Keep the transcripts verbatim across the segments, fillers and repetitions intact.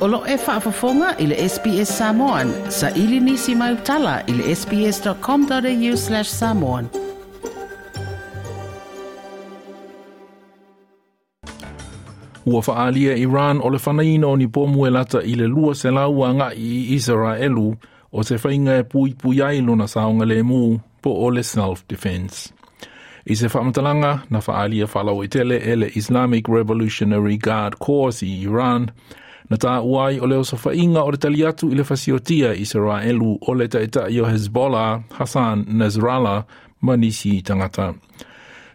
O lo e faafofoga i le S B S Samoan, sa ili nisi mai utala i le S B S dot com dot A U slash samoan. Ua faalia Iran o le fanaina o ni pomu e lata i le lua selau agai i Isaraelu o se faiga e puipui ai lona saogalemu po o le self-defense. I se faamatalaga na faaalia faalauaitele e le Islamic Revolutionary Guard Corps i Iran, na taua ai o le osofaiga o le tali atu i le fasiotia Isaraelu o le taitai o Hezbollah Hassan Nasrallah ma nisi tagata.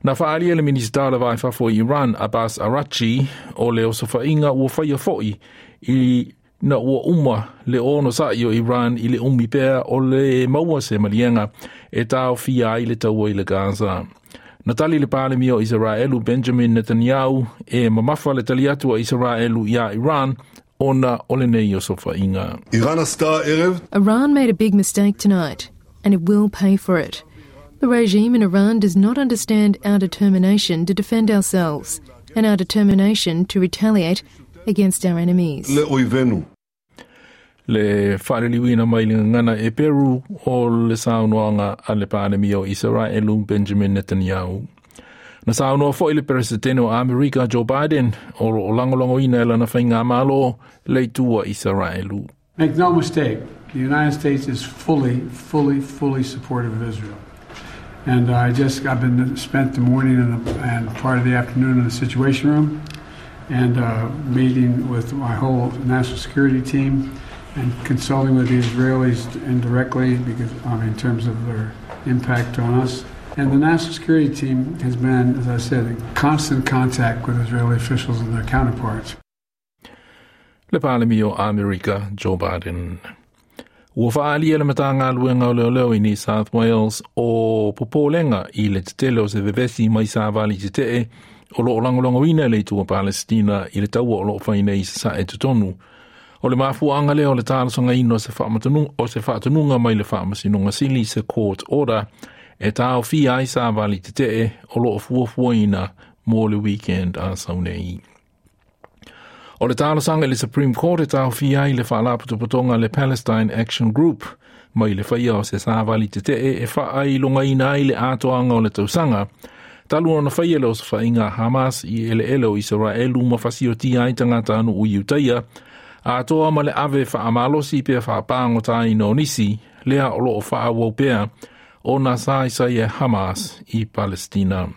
Na faalia le Minisita o le Va i Fafo i Iran Abbas Araghchi o le osofaiga ua faia foi ina ua uma le onosa'i o Iran i le umi pea o le maua se maliega e taofia ai le taua i le Gaza. Na tali le Palemia o Isaraelu Benjamin Netanyahu e mamafa le tali atu a Isaraelu iā Iran ona o lenei osofaiga. Iran made a big mistake tonight, and it will pay for it. The regime in Iran does not understand our determination to defend ourselves and our determination to retaliate against our enemies. Le faaliliuina mai le gagana Eperu o le saunoaga a le Palemia o Isaraelu Benjamin Netanyahu. Na saunoa foi le Peresetene o Amerika Joe Biden o lo o lagolagoina e lana faigamalo le itu a Isaraelu. Make no mistake, the United States is fully, fully, fully supportive of Israel. And I just, I've been spent the morning and, the, and part of the afternoon in the Situation Room and uh, meeting with my whole national security team and consulting with the Israelis indirectly because, I mean, in terms of their impact on us. And the national security team has been, as I said, in constant contact with Israeli officials and their counterparts. Le Palemia o Amerika Joe Biden. Ua faalia le Matagaluega o Leoleo i New South Wales o popolega i le tetele o se vevesi mai savali tetee o lo o lagolagoina le itu a Palestina i le taua o lo o fai nei i sasae totonu. O le mafuaaga lea o le talosagaina o se o se faatonuga mai le Faamasinoga Sili, se court order, e taofia ai savali tetee o lo o fuafuaina mo le weekend a sau nei. O le talosaga i le Supreme Court e taofia ai le faalapotopotoga le Palestine Action Group mai le faia o se savali tetee e faailogaina ai le atoaga o le tausaga talu ona faia le osofaiga a Hamas i eleele o Isaraelu ma fasiotia ai tagatanuu Iutaia, atoa ma le ave faamalosi pe faapagotaaina o nisi, lea o lo o faaauau pea ona saisai e Hamas i Palestina.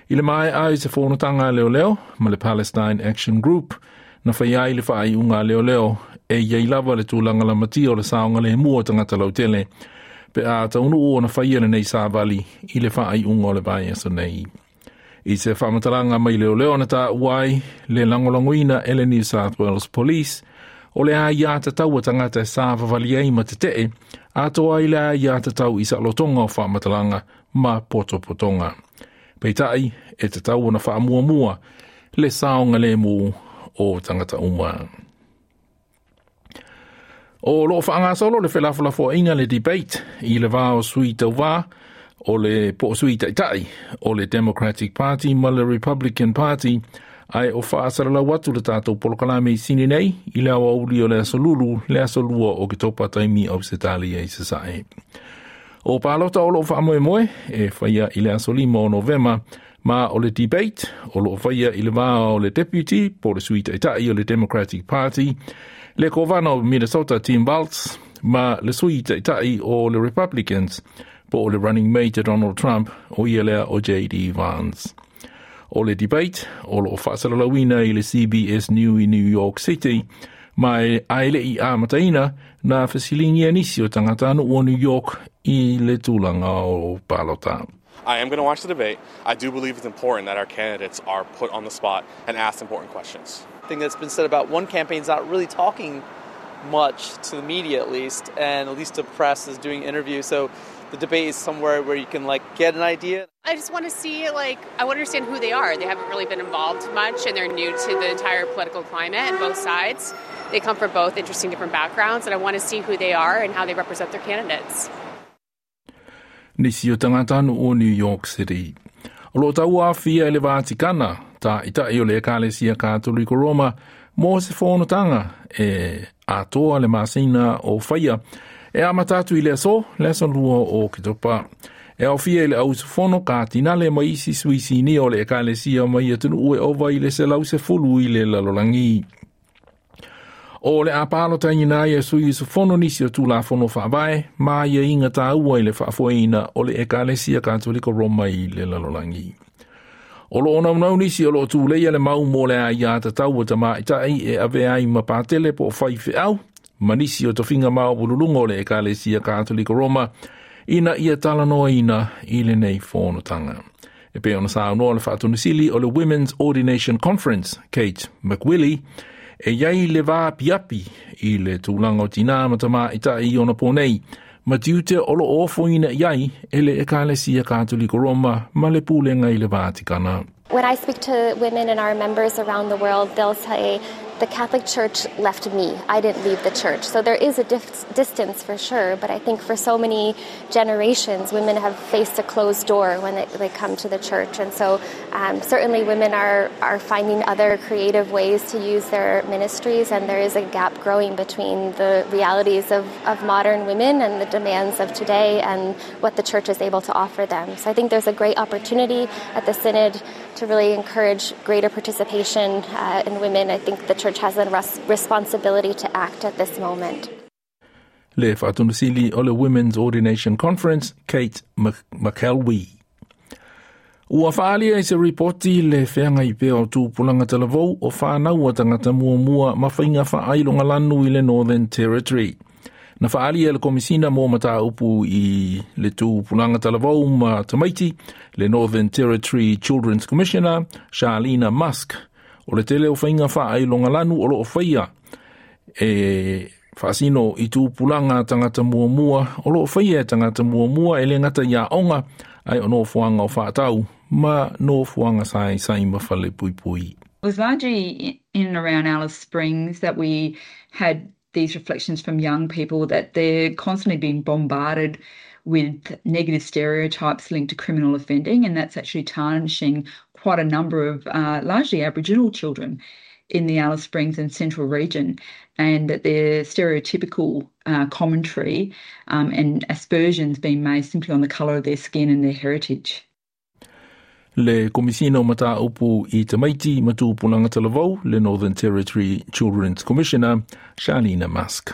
I le maea ai se fonotaga a leoleo ma le Palestine Action Group, na faia ai le faaiuga a leoleo e iai lava le tulaga lamatia o le saogalemu o tagata lautele pe a taunuu ona faia lenei savali i le faaiuga o le vaiaso nei. I se faamatalaga mai leoleo na taua ai le lagolagoina e le New South Wales Police o le aiā tatau a tagata e savavali ai ma tetee, atoa ai le aiā tatau i saolotoga o faamatalaga ma potopotoga. Peitai, e tatau ona faamuamua le saogalemu o tagata uma. O lo o faagasolo le felafolafoaiga, le debate, i le va o sui tauvā o le po o sui taitai o le Democratic Party ma le Republican Party, ae o faasalalau atu le tatou polokalame i sini nei i le aoauli o le aso Lulu, le aso lua o Oketopa taimi Ausetalia i sasae. O palota o lo o faamoemoe e faia i le aso lima o Novema, ma o le debate o lo o faia i le va o le deputy po le sui taitai o le Democratic Party, le kovana o Minnesota Tim Walz, ma le sui taitai o le Republicans po o le running mate Donald Trump, o ia lea o J D Vance. O le debate o lo o faasalalauina i le C B S News i New York City, ma e ae le i amataina na fesiligia nisi o tagatanuu o New York i le tulaga o palota. I am going to watch the debate. I do believe it's important that our candidates are put on the spot and asked important questions. Thing that's been said about one campaign's not really talking much to the media, at least, and at least the press is doing interviews. So the debate is somewhere where you can, like, get an idea. I just want to see, like, I want to understand who they are. They haven't really been involved much, and they're new to the entire political climate, both sides. They come from both interesting different backgrounds, and I want to see who they are and how they represent their candidates. Nisi o tagatanuu o New York City. O lo o tauaofia e le Vatikana Ta'ita'i o le Ekalesia Katoliko Roma mo se fonotaga e atoa le masina o Faia e amata atu i le aso le aso lua o Oketopa. E aofia i le auusufono katinale ma isi sui sinia o le Ekalesia mai atunuu e ova i le selau sefulu i le lalolagi. O le a palotaina ai e sui usufono nisi o Tulafono Faavae ma aiaiga taua i le faafoeina o le Ekalesia Katoliko Roma i le lalolagi. O loo naunau nisi o loo tuleia le mau mo le aiatatau a tamaitai e avea ai ma patele po o faifeau ma nisi o tofiga maualuluga o le Ekalesia Katoliko Roma ina ia talanoaina i lenei fonotaga. E pei ona saunoa le faatonusili o le Women's Ordination Conference, Kate McWillie, e iai le vaapiapi i le tulaga o tinā ma tamaitai i ona nei, ma tiute o loo ofoina i ai e le Ekalesia Katoliko Roma ma le pulega i le Vatikana. When I speak to women and our members around the world, they'll say, the Catholic Church left me. I didn't leave the church. So there is a dif- distance for sure, but I think for so many generations, women have faced a closed door when they, they come to the church. And so um, certainly women are, are finding other creative ways to use their ministries, and there is a gap growing between the realities of, of modern women and the demands of today and what the church is able to offer them. So I think there's a great opportunity at the Synod to really encourage greater participation uh, in women. I think the church has a res- responsibility to act at this moment. Le faatonusili o le Women's Ordination Conference, Kate McElwee. Ua faaalia i se ripoti le feagai pea o tupulaga talavou o fanau a tagata muamua ma faiga faailogalanu i le Northern Territory. Na faaalia le Komisina mo Mataupu i le tupulaga talavou ma tamaiti, le Northern Territory Children's Commissioner, Charlena Musk, o le tele o faiga faailogalanu o loo faia e faasino i tupulaga tagata muamua o loo faia e tagata muamua e le gata i aoga ae o nofoaga o faatau ma nofoaga saisai ma falepuipui. It was largely in and around Alice Springs that we had these reflections from young people that they're constantly being bombarded with negative stereotypes linked to criminal offending, and that's actually tarnishing quite a number of uh, largely Aboriginal children in the Alice Springs and Central region, and that their stereotypical uh, commentary um, and aspersions being made simply on the colour of their skin and their heritage. Le Komisina o Mataupu i Tamaiti ma Tupulaga Talavou, le Northern Territory Children's Commissioner, Charlena Musk.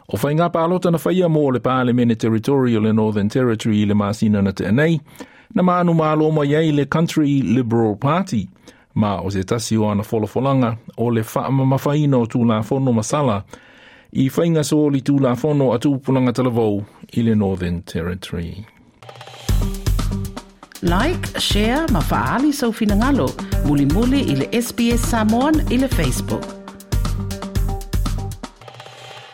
O faiga palota na faia mo le Palemene Territory o le Northern Territory i le masina na tea nei, na manumalo mai ai le Country Liberal Party, ma o se tasi o ana folafolaga o le faamamafaina o Tulafono masala i faiga solitulafono a tupulaga talavou i le Northern Territory. Like, share, ma faaali sou finagalo. Mulimuli i le S B S Samoan i le Facebook.